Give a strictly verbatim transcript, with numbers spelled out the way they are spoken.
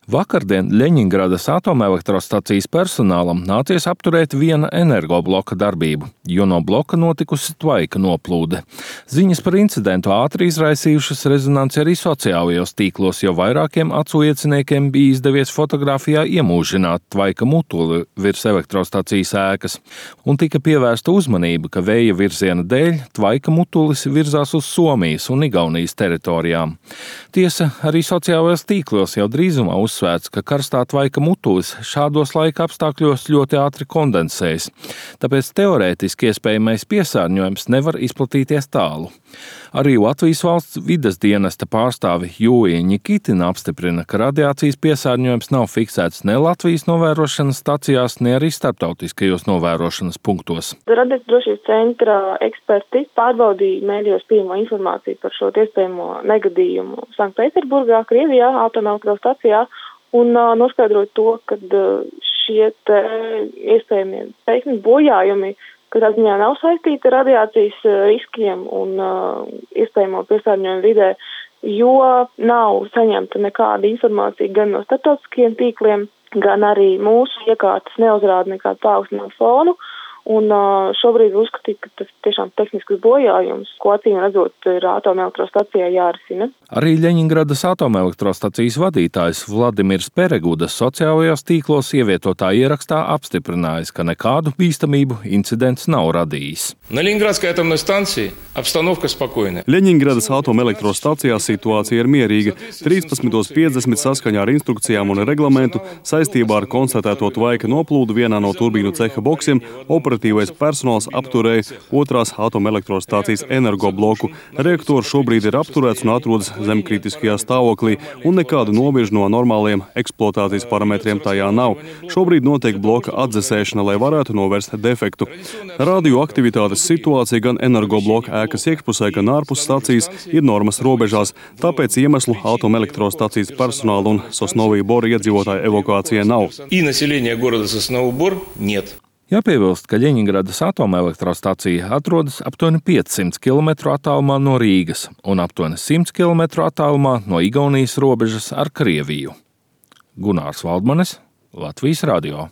Vakardien Ļeņingradas atomelektrostacijas personālam nācies apturēt viena energobloka darbību, jo no bloka notikusi tvaika noplūde. Ziņas par incidentu ātri izraisījušas rezonanci arī sociālajos tīklos, jo vairākiem acu ieciniekiem bija izdevies fotogrāfijā iemūžināt tvaika mutuli virs elektrostacijas ēkas, un tika pievērsta uzmanība, ka vēja virziena dēļ tvaika mutulis virzās uz Somijas un Igaunijas teritorijām. Tiesa, arī sociālajos tīklos jau drīzumā uz Uzsvērts, ka karstā tvaika mutulis šādos laika apstākļos ļoti ātri kondensējas, tāpēc teorētiski iespējamais piesārņojums nevar izplatīties tālu. Arī Latvijas valsts vides dienesta pārstāve Jūija Ņikitina apstiprina, ka radiācijas piesārņojums nav fiksēts ne Latvijas novērošanas stacijās, ne arī starptautiskajos novērošanas punktos. Radiācijas drošības centra eksperti pārbaudīja mēdījos pieejamo informāciju par šo iespējamo negadījumu Sanktpēterburgā, Krievijā, atomelektrostacijā, un uh, noskaidrot to, ka uh, šie te iespējamie teikumi bojājumi, katrā ziņā nav saistīti ar radiācijas uh, riskiem un uh, iespējamo piesārņojumu vidē, jo nav saņemta nekāda informācija gan no starptautiskajiem tīkliem, gan arī mūsu iekārtas neuzrāda nekādu paaugstinātu fonu. Un uh, šobrīd uzskatīt, ka tas tiešām tehnisks bojājums, ko acīm redzot ir atomelektrostacijā jārisina. Arī Ļeņingradas atomelektrostacijas vadītājs Vladimirs Peregudas sociālajos tīklos ievietotā ierakstā apstiprinājis, ka nekādu bīstamību incidents nav radījis. На Ленинградской атомной станции обстановка спокойная. Ļeņingradas atomelektrostacijā situācija ir mierīga. trīspadsmit piecdesmit saskaņā ar instrukcijām un reglamentu saistībā ar konstatēto tvaika noplūdu vienā no turbīnu ceha boksiem operatīvais personāls apturēja otrās atomelektrostācijas energobloku. Reaktors šobrīd ir apturēts un atrodas zemkritiskajā stāvoklī, un nekādu novirzu no normāliem eksploatācijas parametriem tajā nav. Šobrīd notiek bloka atdzesēšana, lai varētu novērst defektu. Radioaktivitātes situācija gan energobloka ēkas iekšpusē, gan ārpus stacijas ir normas robežās, tāpēc iemeslu atomelektrostacijas personāla un Sosnovija Bora iedzīvotāju evakuācijai nav. И население города Сосновый Бор нет. Jāpiebilst, ka Ļeņingradas atomelektrostacija atrodas aptuveni piecsimt kilometru attālumā no Rīgas un aptuveni simt kilometru attālumā no Igaunijas robežas ar Krieviju. Gunārs Valdmanis, Latvijas radio.